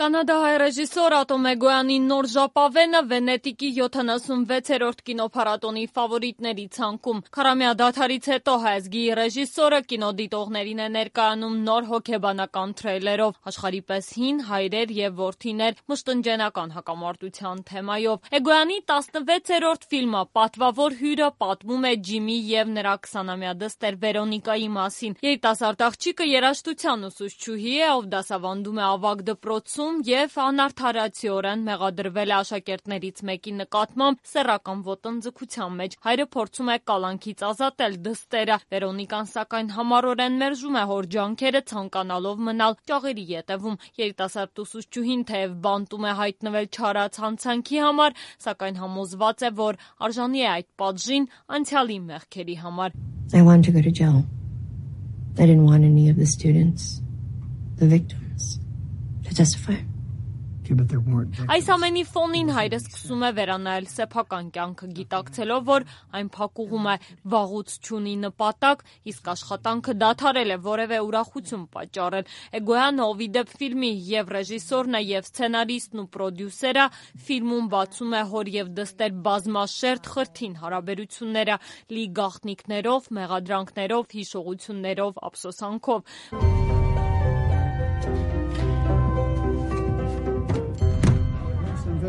Կանադահայ ռեժիսոր Ատոմ Էգոյանի «Նոր ժապավենը» Վենետիկի 76-րդ կինոփառատոնի ֆավորիտների ցանկում։ Քարամյա դադարից հետո հայազգի ռեժիսորը կինոդիտողներին է ներկայանում նոր հոգեբանական թրեյլերով, աշխարհի պես հին հայրեր եւ որդիներ մշտնջենական հակամարտության թեմայով։ Էգոյանի 16-րդ ֆիլմը «Պատվավոր հյուրը» պատմում է Ջիմի եւ նրա 20-ամյա դստեր Վերոնիկայի մասին։ Երիտասարդ աղջիկը երաժշտության ուսուցչուհի է, ով դասավանդում է ավագ դպրոցում եւ անարդարացիորեն մեղադրվել է աշակերտներից մեկի նկատմամբ սեռական ոտնձգության մեջ։ Հայրը փորձում է կալանքից ազատել դստերը։ Վերոնիկան սակայն համառորեն մերժում է հոր ջանքերը, ցանկանալով մնալ ճաղերի ետևում։ Երիտասարդ ուսուցչուհին թեև բանտում է հայտնվել չարած հանցանքի համար, սակայն համոզված է, որ արժանի է այդ պատժին անցյալի մեղքերի համար։ I wanted to go to jail. I didn't want any of the students, the victims, to testify. Այս ամենի ֆոնին հայրը սկսում է վերանայել սեփական կյանքը, գիտակցելով, որ այն փակուղում է, վաղուց չունի նպատակ, իսկ աշխատանքը դադարել է որևէ ուրախություն պատճառել։ Էգոյանը, ով ի դեպ ֆիլմի եւ ռեժիսորն է եւ սցենարիստն ու պրոդյուսերը, ֆիլմում բացում է հոր եւ դստեր բազմաշերտ խրթին հարաբերությունները, լի գաղտնիքներով, մեղադրանքներով, հիշողություններով, ափսոսանքով։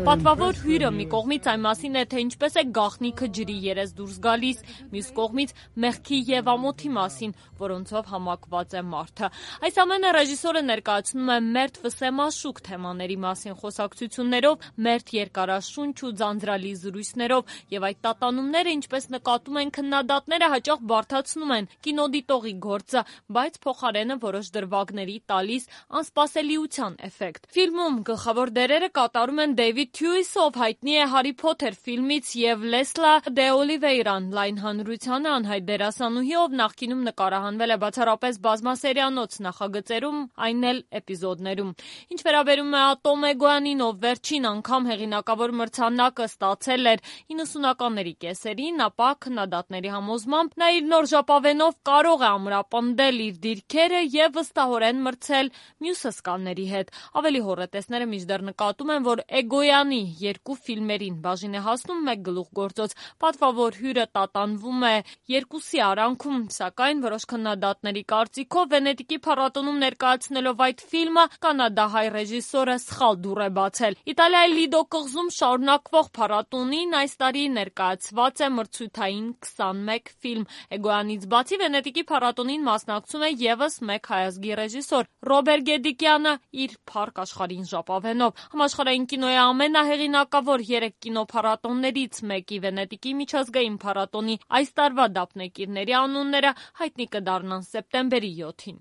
Պատվավոր հյուրը մի կողմից այն մասին է, թե ինչպես է գաղտնիքը ջրի երես դուրս գալիս, մյուս կողմից մեղքի եւ ամոթի մասին, որոնցով համակված է մարդը։ Այս ամենը ռեժիսորը ներկայացնում է մերթ վսեմաշուկ թեմաների մասին խոսակցություններով, մերթ երկարաշունչ ու ձանձրալի զրույցներով, եւ այդ տատանումները, ինչպես նկատում են քննադատները, հաճախ բարդացնում են կինոդիտողի գործը, բայց փոխարենը որոշ դրվագների տալիս անսպասելիության էֆեկտ։ Ֆիլմում գլխավոր դերերը կատարում են Դեյվիդ Թյուիսը, ով հայտնի է Հարի Փոթեր ֆիլմից, եւ Լեսլա Դե Օլիվեյրան, լայն հանրությանը անհայտ դերասանուհի, ով նախկինում նկարահանվել է բացառապես բազմասերիանոց նախագծերում, այն էլ էպիզոդներում։ Ինչ վերաբերում է Ատոմ Էգոյանին, ով վերջին անգամ հեղինակավոր մրցանակը ստացել էր 90-ականների կեսերին, ապա քննադատների համոզմամբ նա իր նոր ժապավենով կարող է ամրապնդել իր դիրքերը եւ վստահորեն մրցել մյուս հսկաների հետ։ Ավելի հոռետեսները մինչդեռ նկատում են, որ Էգոյանի երկու ֆիլմերին բաժին է հասնում մեկ գլուխգործոց։ Պատվավոր հյուրը տատանվում է երկուսի արանքում, սակայն որոշ քննադատների կարծիքով Վենետիկի փառատոնում ներկայացնելով այդ ֆիլմը կանադահայ ռեժիսորը սխալ դուռ է բացել։ Իտալիայի Լիդո կղզում շարունակվող փառատոնին այս տարի ներկայացված է մրցույթային 21 ֆիլմ։ Էգոյանից բացի Վենետիկի փառատոնին մասնակցում է եւս մեկ հայազգի ռեժիսոր՝ Ռոբեր Գեդիկյանը իր Փառք աշխարհին ժապավենով։ Համաշխարհային կինոյի ամենահեղինակավոր 3 կինոփառատոններից մեկի Վենետիկի միջազգային փառատոնի այս տարվա դափնեկիրների անունները հայտնի կդառնան սեպտեմբերի 7-ին։